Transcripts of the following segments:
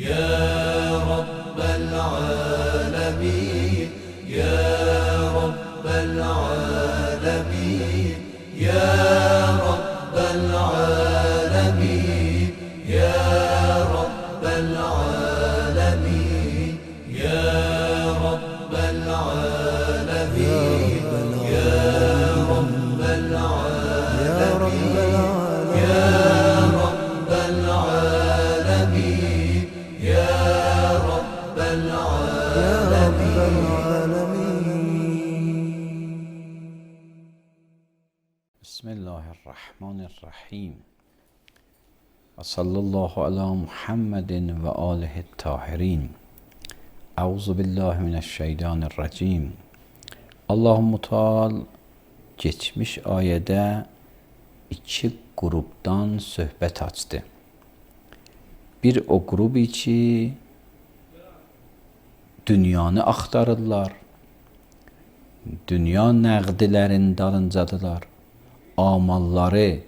يا رب العالمين يا رب العالمين يا رب العالمين يا رب العالمين يا رب العالمين يا رب العالمين يا رب العالمين يا رب العالمين. بسم الله الرحمن الرحیم و صلی الله علی محمد و آله الطاهرین. اعوذ بالله من الشیطان الرجیم. Allah-u Teala geçmiş ayədə iki qrupdan söhbət açdı. Bir o qrup ki dünyanı axtarırlar, dünya nəqdilərin dalıncadılar. Amalları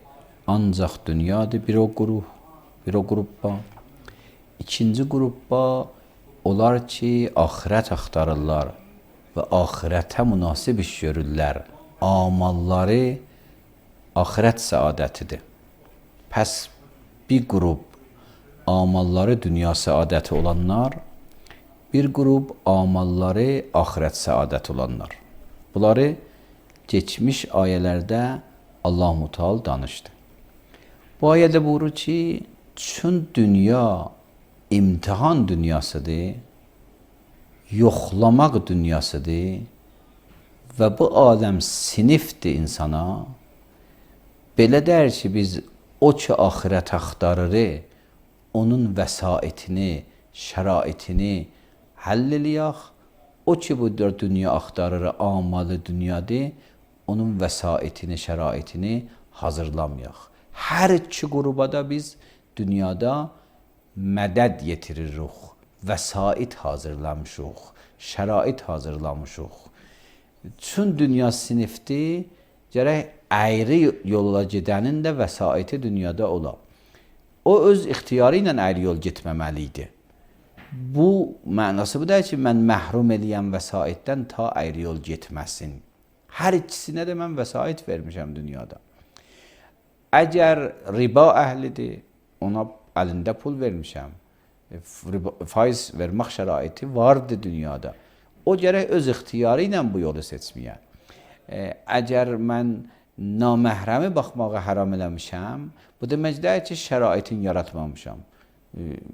ancaq dünyadır bir o qruppa. İkinci qruppa onlar ki axirət axtarırlar və axirətə münasib iş görürlər. Amalları axirət səadətidir. Pəs bir qrup amalları dünya səadəti olanlar, bir qrup amalları axirət səadəti olanlar. Bunları geçmiş ayələrdə Allah-u Teala danışdı. Bu ayədə buyurur ki, çün dünya imtihan dünyasıdır, yoxlamaq dünyasıdır və bu aləm sinifdir insana. Belə dər ki, biz o ki axirət axtarırıq, onun vəsaitini, şəraitini həll eləyək. O ki bu dünya axtarır, amalı dünyadır, onun vəsaitini, şəraitini hazırlamayaq. Hər iki qruba da biz dünyada mədəd yetiririk, vəsait hazırlamışıq, şərait hazırlamışıq. Çün dünya sinifdir, gərək əyri yolla gedənin də vəsaiti dünyada ola. O öz ixtiyarı ilə əyri yol getməməlidir. Bu mənası bu deyil ki, mən məhrum eləyəm vəsaitdən ta əyri yol getməsin. Hər ikisinə də mən vəsait vermişəm dünyada. Əgər riba əhlidir, ona əlində pul vermişəm. Faiz vermək şəraiti vardır dünyada. O gərək öz ixtiyarı ilə bu yolu seçməyə. Əgər mən naməhrəmi baxmağa haram eləmişəm, bu demək deyil ki, şəraitin yaratmamışam.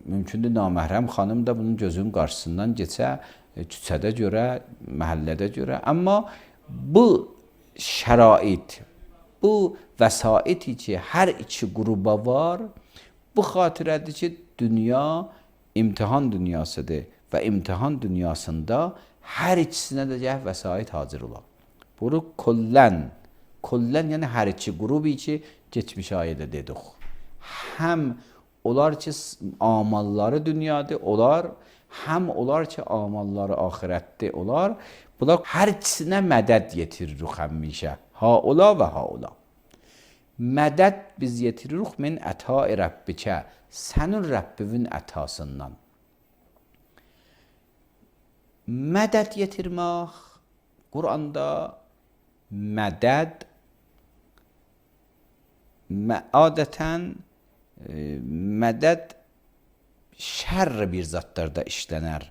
Mümkündür naməhrəm xanım da bunun gözünün qarşısından geçə, küçədə görə, məhəllədə görə. Amma bu şərait, bu vəsaiti ki, hər iki qruba var, bu xatirədir ki, dünya imtihan dünyasıdır və imtihan dünyasında hər ikisinə də vəsait hazır olar. Bunu kollən yəni hər iki qrubi ki, geçmiş ayədə dedik. Həm onlar ki, amalları dünyadır, həm onlar ki, amalları axirətdir, olar. Bunlar hər ikisinə mədəd yetiririk həmişə. Ha ola və ha ola. Mədəd biz yetiririk min ətai Rəbbikə, sənin Rəbbivin ətasından. Mədəd yetirmək, Quranda mədəd adətən mədəd şərr bir zatlarda işlənər.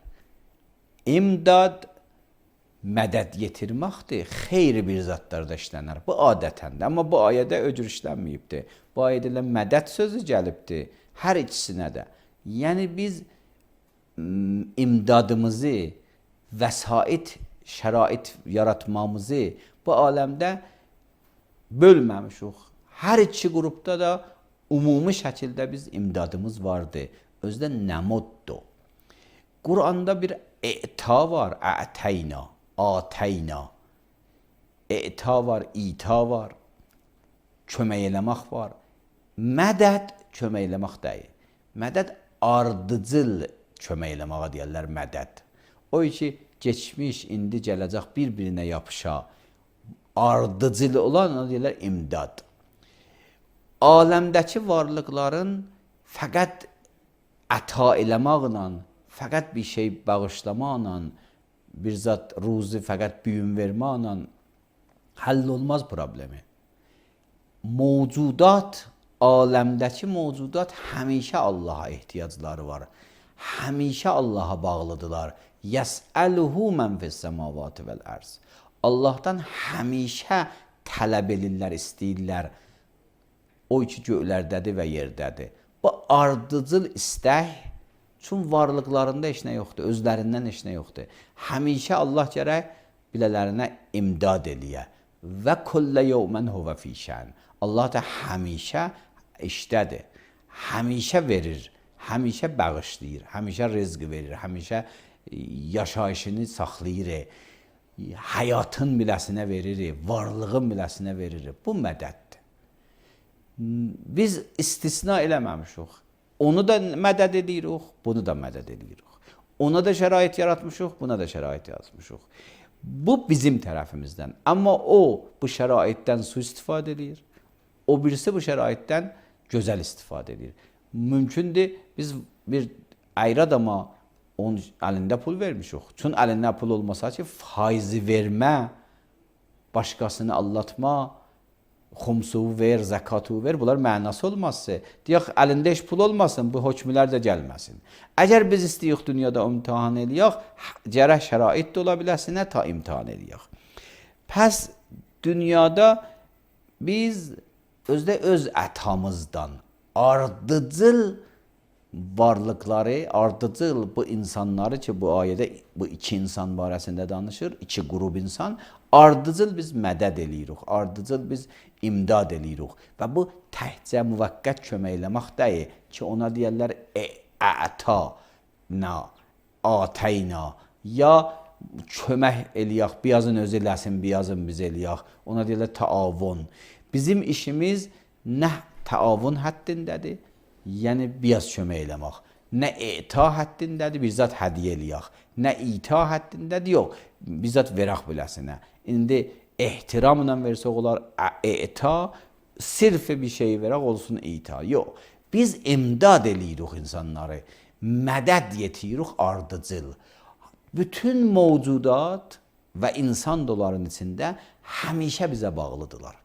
İmdad mədəd yetirməkdir, xeyri bir zatlarda işlənər. Bu adətəndir, amma bu ayədə öcür işlənməyibdir. Bu ayədə mədəd sözü gəlibdir, hər ikisinə də. Yəni biz imdadımızı, vəsait, şərait yaratmamızı bu aləmdə bölməmişik. Hər iki qrupda da ümumi şəkildə biz imdadımız vardır. Özdə nəmuddur. Quranda bir əta var, ətəyna, atəyna. Əta var, ita var, kömək eləmək var. Mədəd kömək eləmək deyil. Mədəd ardıcıl kömək eləməyə deyərlər mədəd. O ki, geçmiş, indi gələcək bir-birinə yapışa, ardıcıl olan ona deyirlər imdad. Aləmdəki varlıqların fəqət əta eləməklə, fəqət bir şey bağışlamaqla, bir zat ruzi fəqət büyün verməklə həll olmaz problemi. Mövcudat, aləmdəki mövcudat həmişə Allaha ehtiyacları var. Həmişə Allaha bağlıdırlar. Yəs'əluhu mən fis-səmavati vəl-ərz. Allahdan həmişə tələb edirlər, istəyirlər. O ki göylərdədir və yerdədir. Bu ardıcıl istək, çünki varlıqlarında heç nə yoxdur, özlərindən heç nə yoxdur. Həmişə Allah gərək bilələrinə imdad eləyə. Və kullə yevmən huvə fî şən. Allah da həmişə işdədir, həmişə verir, həmişə bağışlayır, həmişə rızq verir, həmişə yaşayışını saxlayır, həyatın biləsinə verir, varlığın biləsinə verir. Bu mədəddir. Biz istisna eləməmişik. Onu da mədəd edirik, bunu da mədəd edirik. Ona da şərait yaratmışıq, buna da şərait yaratmışıq. Bu bizim tərəfimizdən. Amma o bu şəraitdən su istifadə edir. O birisi bu şəraitdən gözəl istifadə edir. Mümkündür, biz bir ayrı adama onun əlində pul vermişik. Çünki əlində pul olmasa ki, faizi vermə, başqasını aldatma, xumsuvu ver, zəkatı ver, bunlar mənası olmazsa, deyək, əlində heç pul olmasın, bu hökmlər də gəlməsin. Əgər biz istəyik dünyada imtihan eləyək, gərək şərait də ola biləsinə ta imtihan eləyək. Pəs dünyada biz özdə öz ətamızdan ardıcıl varlıqları, ardıcıl bu insanları ki, bu ayədə bu iki insan barəsində danışır, iki qrup insan, ardıcıl biz mədəd eləyirik, ardıcıl biz imdad eləyirik. Və bu təhcə müvəqqət kömək eləmək deyil ki, ona deyərlər ətəna, atəyna, ya kömək eləyək, biyazın özü eləsin, biyazın biz eləyək, ona deyərlər təavun. Bizim işimiz nə təavun həddindədir, yəni biyaz kömək eləmək. Nə ita həddindədir, bizzat hədiyə eləyək. Nə ita həddindədir, yox, bizzat verək biləsinə. İndi ehtiramla versək olar, ita, sirf bir şey verək olsun ita. Yox, biz imdad eləyirik insanları, mədəd yetirik ardıcıl. Bütün mövcudat və insan doların içində həmişə bizə bağlıdırlar.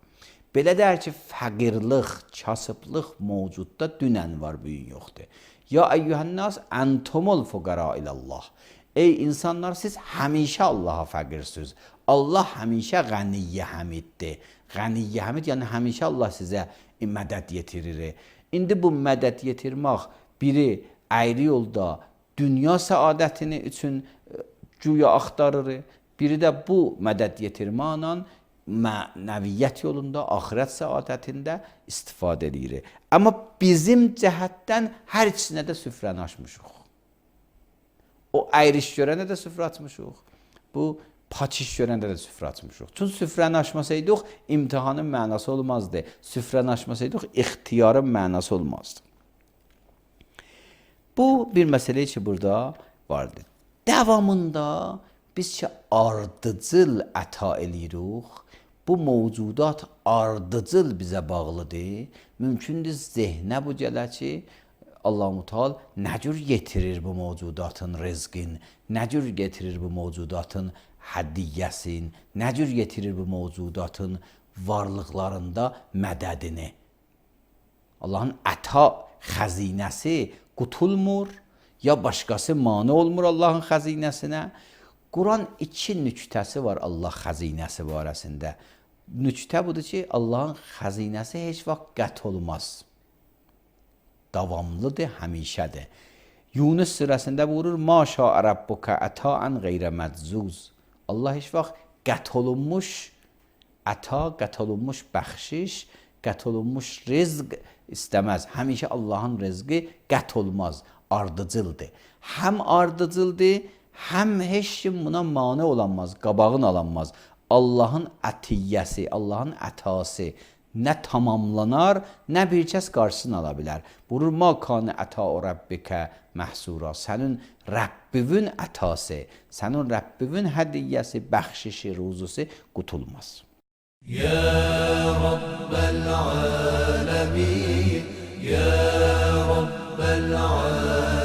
Belə deyər ki, fəqirlik, kasıblıq mövcudda dünən var, bugün yoxdur. Ya əyyuhənnas, əntumul fuqara ilallah. Ey insanlar, siz həmişə Allaha fəqirsiniz. Allah həmişə qəniyyə həmiddir. Qəniyyə həmid, yəni həmişə Allah sizə mədəd yetirir. İndi bu mədəd yetirmək biri əyri yolda dünya səadətini üçün güya axtarır, biri də bu mədəd yetirməklə mənəviyyət yolunda, axirət səadətində istifadə edir. Amma bizim cəhətdən hər ikisinə də süfrəni açmışıq. O əyriş görəndə də süfrə açmışıq. Bu paçiş görəndə də süfrə açmışıq. Çünki süfrəni açmasaydıq, imtihanın mənası olmazdı. Süfrəni açmasaydıq, ixtiyarın mənası olmazdı. Bu bir məsələ ki, burada vardır. Davamında biz ki, ardıcıl əta eləyirik, bu mövcudat ardıcıl bizə bağlıdır. Mümkündür zehnə bu gələ ki, Allah-u Teala nə cür yetirir bu mövcudatın rızqin, nə cür getirir bu mövcudatın hədiyyəsin, nə cür getirir bu mövcudatın varlıqlarında mədədini. Allahın əta xəzinəsi qutulmur, ya başqası mane olmur Allahın xəzinəsinə. Quran iki nüktəsi var Allah xəzinəsi barəsində. Nüktə budur ki, Allahın xəzinəsi heç vaxt qət olmaz. Davamlıdır, həmişədir. Yunus surəsində buyurur, Ma şa'a rabbuka ətaən qeyrə məczuz. Allah heç vaxt qət olunmuş əta, qət olunmuş bəxşiş, qət olunmuş rizq istəməz. Həmişə Allahın rizqi qət olmaz, ardıcıldır. Həm ardıcıldır, həm heç kim buna mane olanmaz, qabağın alanmaz. Allahın ətiyyəsi, Allahın ətası nə tamamlanar, nə bir kəs qarşısını ala bilər. Buyurur, ma kana ətau rabbikə məhsura. Sənin Rəbbivin ətası, sənin Rəbbivin hədiyyəsi, bəxşişi, ruzusu qutulmaz. Ya Rabbel alemin, Ya Rabbel alemin.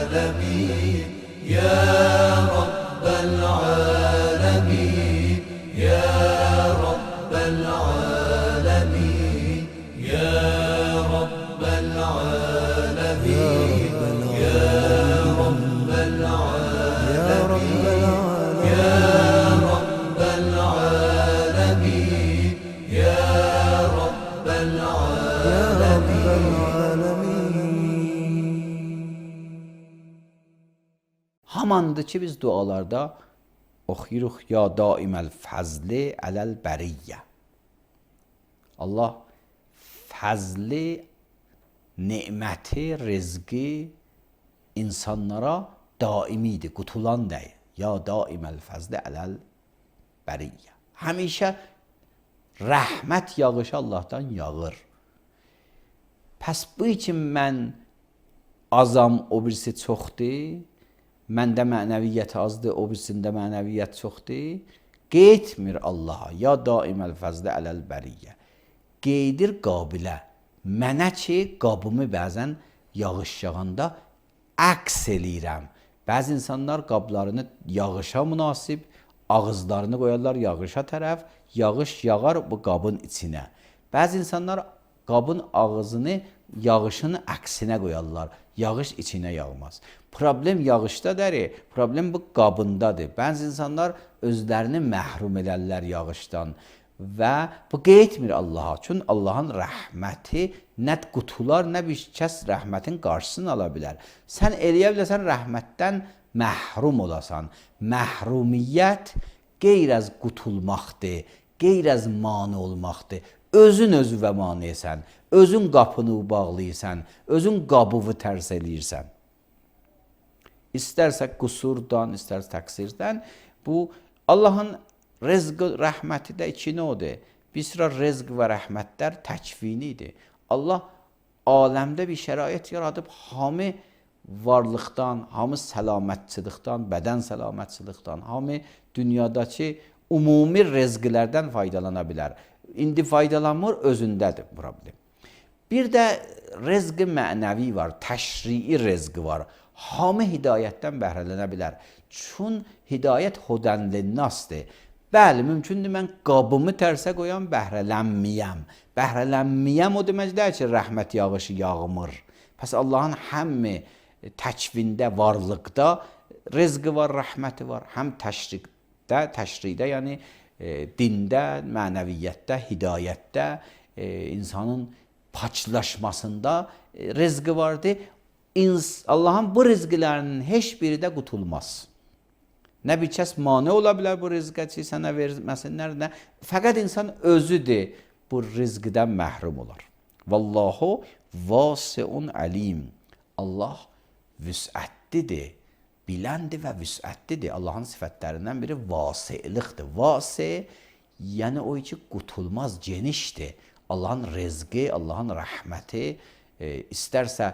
Hamandır ki biz dualarda oxuyuruq ya daiməl fəzli ələl bəriyyə. Allah fəzli, neməti, rizqi insanlara daimidir, qutulan deyil. Ya daiməl fəzli ələl bəriyyə. Həmişə rəhmət yağışı Allahdan yağır. Pəs bu üçün mən azam, o birisi çoxdur. Məndə mənəviyyət azdır, o birisində mənəviyyət çoxdur. Qeйтmir Allaha. Ya daiməl fəzli ələl bəriyyə. Qeydir qabilə. Mənə ki, qabımı bəzən yağış yağanda əks eləyirəm. Bəzi insanlar qablarını yağışa münasib, ağızlarını qoyarlar yağışa tərəf, yağış yağar bu qabın içinə. Bəzi insanlar qabın ağzını yağışın əksinə qoyarlar. Yağış içinə yağmaz. Problem yağışda deyil, problem bu qabındadır. Bəzi insanlar özlərini məhrum edərlər yağışdan və bu qeйтmir Allaha. Çünki Allahın rəhməti nə qutular, nə bir kəs rəhmətin qarşısını ala bilər. Sən eləyə bilərsən rəhmətdən məhrum olasan. Məhrumiyyət qeyr az qutulmaqdır, qeyr az mane olmaqdır. Özün özüvə manesən, özün qapını bağlayırsan, özün qabıvı tərs eləyirsən. İstərsə qüsurdan, istərsə təqsirdən, bu Allahın rızq, rəhməti də iki nədir? Bir sıra rızq və rəhmətlər təkvinidir. Allah aləmdə bir şərait yaradıb, hamı varlıqdan, hamı səlamətçılıqdan, bədən səlamətçılıqdan, hamı dünyadakı ümumi rızqlərdən faydalana bilər. İndi faydalanmır, özündədir problem. Bir də rızq mənəvi var, təşrii rızq var. Hamı hidayətdən bəhrələnə bilər. Çün hidayət hudənlinnasdır. Bəli, mümkündür mən qabımı tərsə qoyam, bəhrələnməyəm. Bəhrələnməyəm o demək deyil ki, rəhmət yağışı yağmır. Pəs Allahın həmmi təkvində, varlıqda rızqı var, rəhməti var. Həm təşridə, yəni dində, mənəviyyətdə, hidayətdə, insanın paçlaşmasında rızqı vardır. Allahın bu rızqlərinin heç biri də qutulmaz. Nə bir kəs mane ola bilər bu rızqa ki, sənə verməsinlər, nə? Fəqət insan özüdür bu rızqdan məhrum olar. Vallahu vasiun alim. Allah vüsətlidir, biləndir və vüsətlidir. Allahın sifətlərindən biri vasilikdir. Vasi, yəni o ki, qutulmaz, genişdir. Allahın rızqı, Allahın rəhməti, istərsə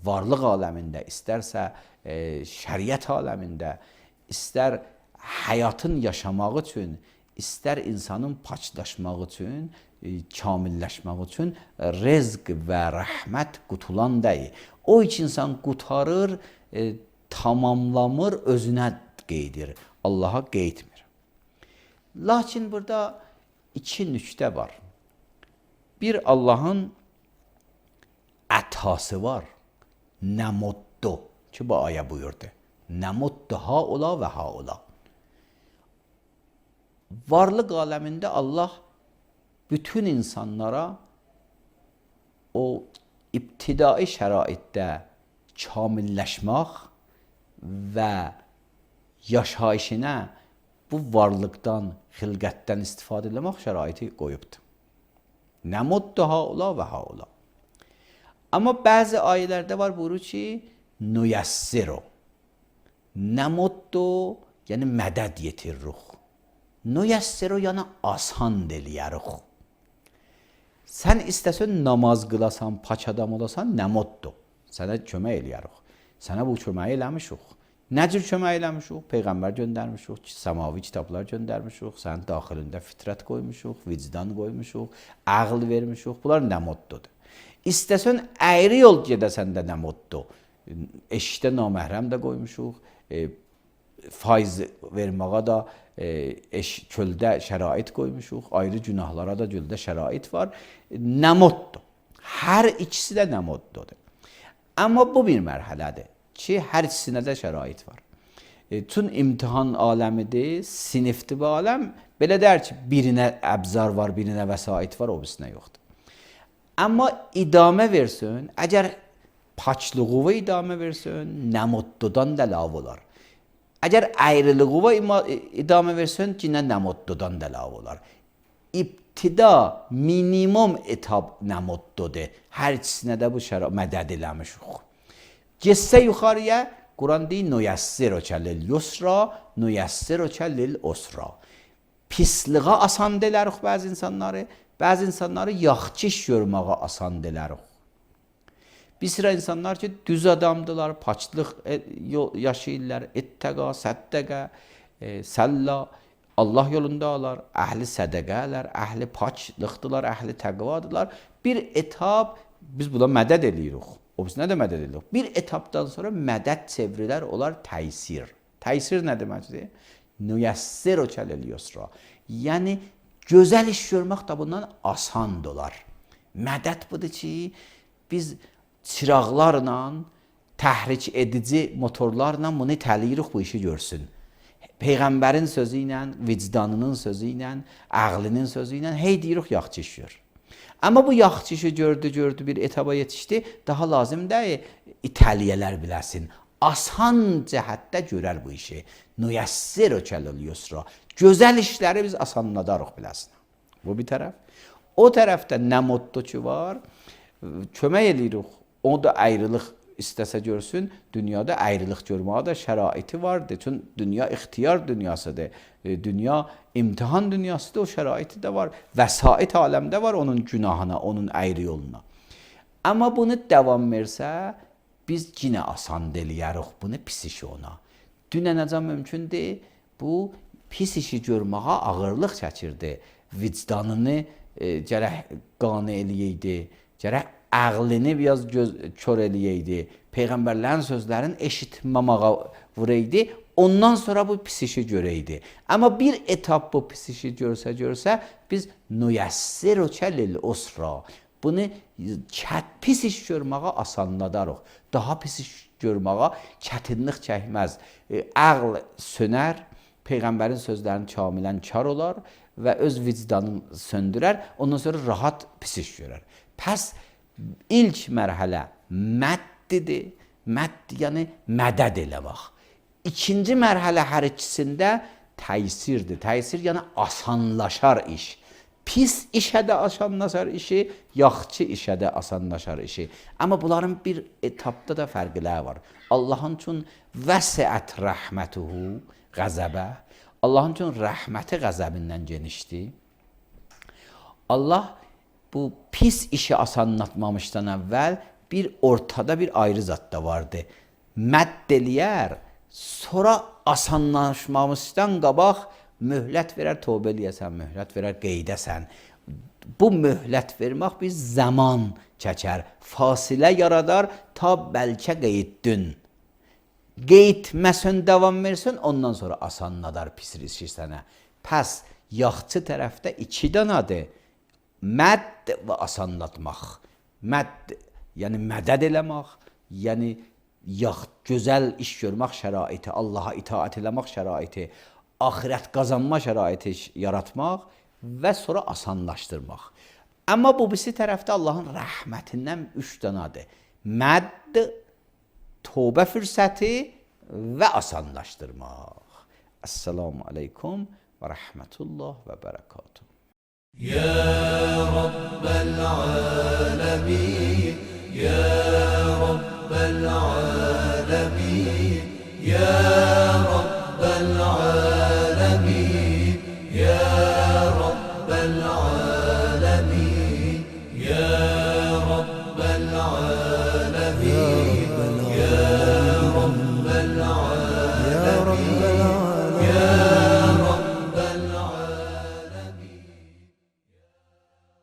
varlıq aləmində, istərsə şəriət aləmində, istər həyatın yaşamaq üçün, istər insanın paçlaşmaq üçün, kamilləşmək üçün rızq və rəhmət qutulan deyil. O iki insan qutarır, tamamlamır, özünə qeydir. Allaha qeйтmir. Lakin burada iki nüqtə var. Bir Allahın ətası var. Nəmuddu ki, bu ayə buyurdu. Nəmuddu haula və haula. Varlıq aləmində Allah bütün insanlara o ibtidai şəraitdə kamilləşmək və yaşayışına bu varlıqdan, xilqətdən istifadə etmək şəraiti qoyubdur. Nəmuddu haula və haula. Amma bəzi ayələrdə var buyurur ki, nüyəssiru. Nəmuddu, yəni mədəd yetiririk. Nüyəssiru, yəni asan eləyərik. Sən istəsən namaz qılasan, paç adam olasan, nəmuddu. Sənə kömək eləyərik. Sənə bu köməyi eləmişik. Nə cür kömək eləmişik? Peyğəmbər göndərmişik, səmavi kitablar göndərmişik, sənin daxilində fitrət qoymuşuq, vicdan qoymuşuq, ağıl vermişik. Bunlar nəmuddudur. İstəsən əyri yol gedəsən də nəmuddu. Eşikdə naməhrəm də qoymuşuq, faiz verməyə da çöldə şərait qoymuşuq, ayrı günahlara da çöldə şərait var. Nəmuddu. Hər ikisi də nəmuddudur. Amma bu bir mərhələdir ki, hər ikisinə də şərait var. Çün imtihan aləmidir, sinifdir bu aləm. Belə deyər ki, birinə əbzar var, birinə vəsait var, o birisinə yoxdur. Amma idamə versin, əgər paçlığı idame versin, nemutludan da lav olar. Eğer ayrılığı idame versin, yine nemutludan da lav olar. İptida minimum etap nemutludur. Her ikisine de bu mədəd eləmişik. Getsə yuxarıya, Quran deyir, nüyəssirükə lil yusra, nüyəssirükə lil usra. Pisliğe asan delərik bəzi insanları yaxşı iş görməyə asan delərik. Bir sıra insanlar ki, düz adamdılar, paçlıq yaşayırlar, ettəqa, səddəqə, səlla, Allah yolundalar, əhli sədəqələr, əhli paçlıqdılar, əhli təqvadılar. Bir etap, biz buna mədəd eləyirik. O biz nə də mədəd eləyirik? Bir etapdan sonra mədəd çevrilər olar təysir. Təysir nə deməkdir? Nüyəssirükə lil yusra. Yəni, gözəl iş görmək də bundan asan olar. Mədəd budur ki, biz çıraqlarla, təhrik edici motorlarla bunu itəliyirik bu işi görsün. Peyğəmbərin sözü ilə, vicdanının sözü ilə, ağlının sözü ilə hey deyirik yaxşı iş gör. Amma bu yaxşı işi gördü, bir etaba yetişdi, daha lazım deyil itəliyələr biləsin. Asan cəhətdə görər bu işi. Nüyəssirükə lil yusra. Gözəl işləri biz asanladarıq biləsin. Bu bir tərəf. O tərəfdə nə motto ki var, kömək edirik. O da ayrılıq istəsə görsün, dünyada ayrılıq görməyə də şəraiti vardır. Çünki dünya ixtiyar dünyasıdır. Dünya imtihan dünyasıdır, o şəraiti də var. Vəsait aləmdə var onun günahına, onun ayrı yoluna. Amma bunu davam versə, biz yenə asan deliyərik bunu pis işi ona. Dünənəcən mümkündür, bu pis işi görməyə ağırlıq çəkirdi. Vicdanını gərək qane eləyəydi, gərək ağlını biraz kör eləyəydi, Peyğəmbərlərin sözlərini eşitməməyə vuraydı, ondan sonra bu pis işi görəydi. Amma bir etap bu pis işi görsə, biz nüyəssirükə lil usra. Bunu pis iş görməyə asanladarıq. Daha pis iş görməyə çətinlik çəkməz. Ağl sönər, Peyğəmbərin sözlərini kamilən kar olar və öz vicdanını söndürər, ondan sonra rahat pis iş görər. Pəs ilk mərhələ məddidir. Mədd yəni mədəd eləmək. İkinci mərhələ hər ikisində təysirdir. Təysir yəni asanlaşar iş. Pis işə də asanlaşar işi, yaxşı işə də asanlaşar işi. Amma bunların bir etapda da fərqləri var. Allahın üçün vəsiət rəhmətuhu qəzəbə. Allahın üçün rəhməti qəzəbindən genişdir. Allah bu pis işi asanlatmamışdan əvvəl bir ortada bir ayrı zat da vardı. Mədd eləyər, sonra asanlaşmamışdan qabaq möhlət verər, tövbə eləyəsən, möhlət verər, qeydəsən. Bu möhlət vermək bir zaman çəkər, fasilə yaradar, ta bəlkə qeyddün. Qeydməsən, davam versin, ondan sonra asanladar pis işi sənə. Pəs, yaxçı tərəfdə iki danadır. Mədd və asanlatmaq. Mədd, yəni mədəd eləmək, yəni gözəl iş görmək şəraiti, Allaha itaat eləmək şəraiti, axirət qazanma şəraiti yaratmaq və sonra asanlaşdırmaq. Amma bu birisi tərəfdə Allahın rəhmətindən 3 danadır. Mədd, tövbə fürsəti və asanlaşdırmaq. Esselamu aleykum və rəhmətullah və bərəkatuhu. يا رب العالمين